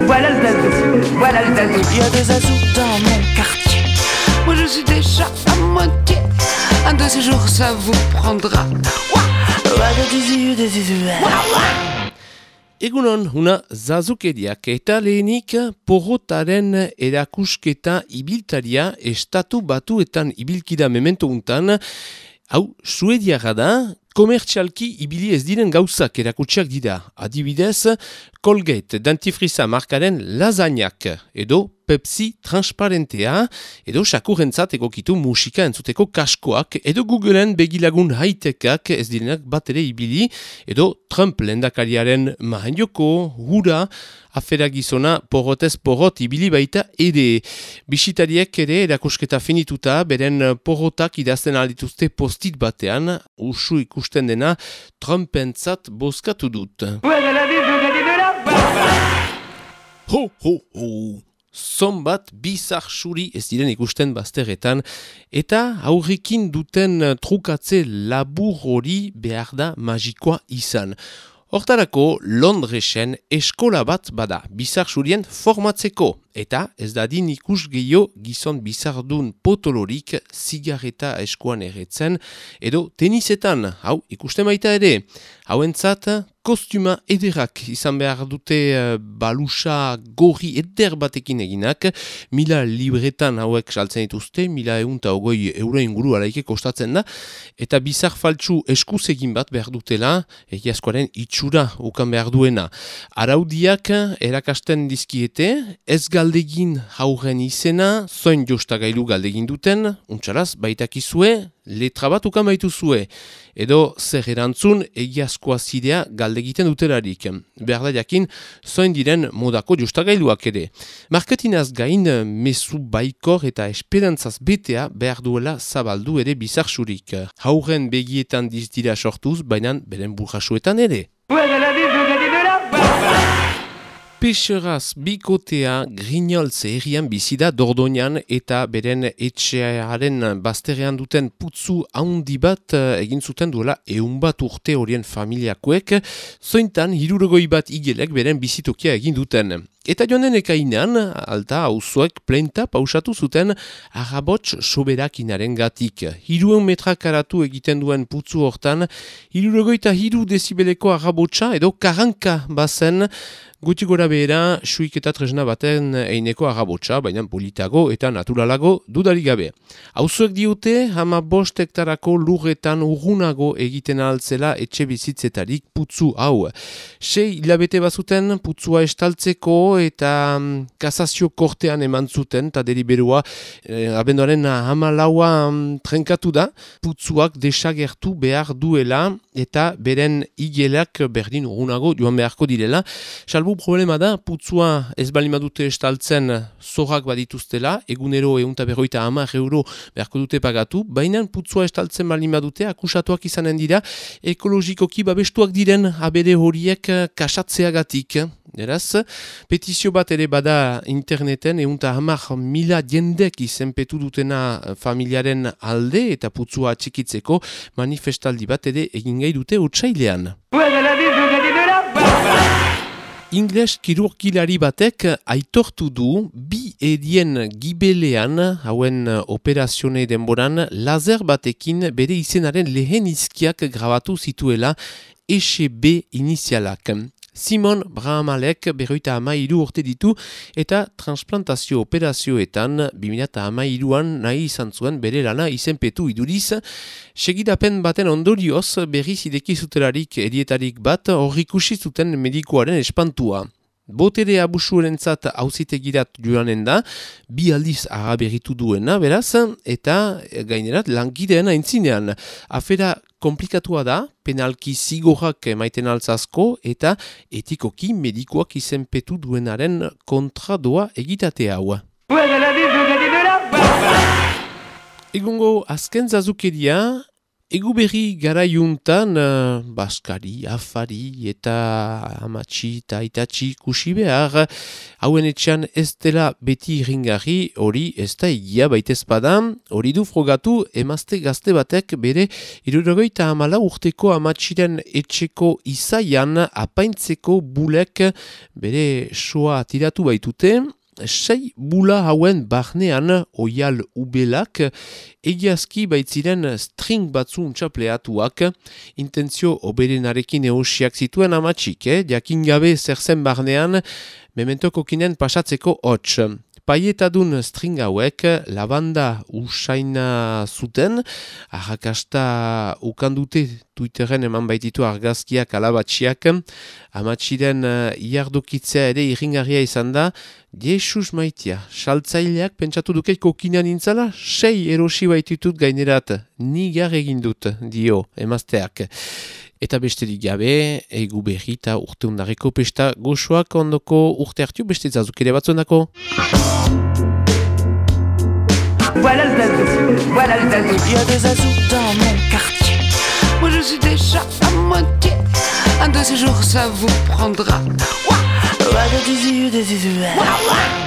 Voilà le zazou, voilà le zazou. Il y a des zazous dans mon quartier. Moi je suis déjà à moitié. Un de ces jours ça vous prendra. Egunon, una zazukeriak eta lehenik porrotaren erakusketa ibiltaria estatu batuetan ibilkida memento untan, hau, suediaga da, komertzialki ibili ez diren gauzak erakutsiak dira. Adibidez, Colgate dentifriza markaren lasagnak edo Pepsi transparentea edo sakurrentzat egokitu musika entzuteko kaskoak edo Googleen begilagun high-techak ez direnak bat ere ibili edo Trump lehendakariaren mahainjoko, hura, afera gizona porrotez porrot ibili baita ere. Bisitariek ere erakusketa finituta beren porrotak idazten aldituzte postit batean, usu ikusten dena Trumpentzat bozkatu dut. Ho, ho, ho! Zonbat bizar xuri ez diren ikusten bazterretan, eta aurrekin duten trukatze labur hori behar da magikoa izan. Hortarako Londresen eskola bat bada bizar xurien formatzeko, eta ez dadin ikus gehiago gizon bizardun potolorik zigarreta eskuan erretzen, edo tenisetan, hau ikusten baita ere, hauentzat kostuma ederrak izan behar dute balusa gorri eder batekin eginak, 1000 libretan hauek saltzen dituzte, 1120 euro inguru alaike kostatzen da, eta bizar faltsu eskuz egin bat behar dutela, egiazkoaren itxura ukan behar duena. Araudiak erakasten dizkiete, ez galdegin hauren izena, zoin jostagailu galdegin duten, untxaraz baitakizue, letra bat ukan baituzue, edo zer erantzun egiazkoa zidea galdegiten dutelarik. Behar da jakin, zoin diren modako jostagailuak ere. Marketinaz gain, mezu baikor eta esperantzaz betea behar duela zabaldu ere bizarxurik. Hauren begietan dizdira sortuz, baina beren burrasuetan ere. Peixeraz bikotea Grignolze herrian bizida Dordoñan eta beren etxearen bazterrean duten putzu haundi bat egin zuten duela 100 bat urte horien familiakoek, zointan 60 bat igelek beren bizitokia egin duten. Eta joanen ekainan, alta hauzuek plenta pausatu zuten arrabots soberakinaren gatik. 300 metra karatu egiten duen putzu hortan, 63 dezibeleko arrabotsa edo karanka bazen, guti gora behera, suik eta tresna baten eineko arrabotsa, baina politago eta naturalago dudarik gabe. Hauzuek diote, 15 hektarako lurretan urrunago egiten altzela etxe bizitzetarik putzu hau. 6 hilabete bazuten putzua estaltzeko eta kasazio kortean eman zuten, eta deliberua abenduaren 14 trenkatu da, putzuak desagertu behar duela eta beren igelak berdin urrunago joan beharko direla. Salbu problema da, putzua ez balimadute estaltzen zorrak badituztela, egunero 150 euro beharko dute pagatu, baina putzua estaltzen balimadute akusatuak izanen dira, ekologikoki babestuak diren abere horiek kasatzeagatik. Eraz, petizio bat ere bada interneten, 110.000 jendek izenpetu dutena familiaren alde eta putzua txikitzeko manifestaldi bat ere egin gai dute otsailean. Ingles kirurgilari batek aitortu du 2 edien gibelean, hauen operazione denboran, laser batekin bere izenaren lehen izkiak grabatu zituela ECB inizialak. Simon Brahamalek 53 urte ditu eta transplantazio operazioetan 2013an nahi izan zuen bere lana izenpetu iduriz. Segidapen baten ondorioz berriz ideki zutelarik edietarik bat horrikusi zuten medikoaren espantua. Botere abusuerentzat auzitegirat joanen da, 2 aldiz araberritu duena, beraz, eta gainerat langideen aintzinean. Afera komplikatua da, penalki zigorrak emaiten altzazko, eta etikoki medikoak izenpetu duenaren kontradoa egitate hau. Egungo azken zazukeria, Egu berri garaiuntan, baskari, afari eta amatxi eta itatxi ikusi behar, hauen etxean ez dela beti irringarri, hori ez da egia baitez badan, hori du frogatu emazte gazte batek bere 74 urteko amatxiren etxeko izaian apaintzeko bulek bere soa tiratu baitute. 6 bula hauen barnean oial ubelak, egiazki baitziren string batzu untxapleatuak, intentzio oberenarekin eosiak zituen amatxik, jakin gabe zer zen barnean, mementoko kinen pasatzeko hots. Paietadun string hauek lavanda usaina zuten, arrakasta ukandute Twitteren eman baititu argazkiak alabatxiak, amatxiren iardokitzea ere irringarria izan da, Jesus maitia, saltzaileak pentsatu dukeiko kinean intzala, 6 erosi baititut gainerat, nigar egin dut, dio, emazteak. Eta besterik gabe, egu berri eta urte undareko pesta goxoak ondoko urte hartu beste zazuk ere batzondako. Voilà le zazou, voilà le zazou. Il y a des zazous dans mon quartier. Moi je suis déjà à moitié. Un de ces jours ça vous prendra. Ouah, ouah, des zizous, des zizous. Ouah, ouah.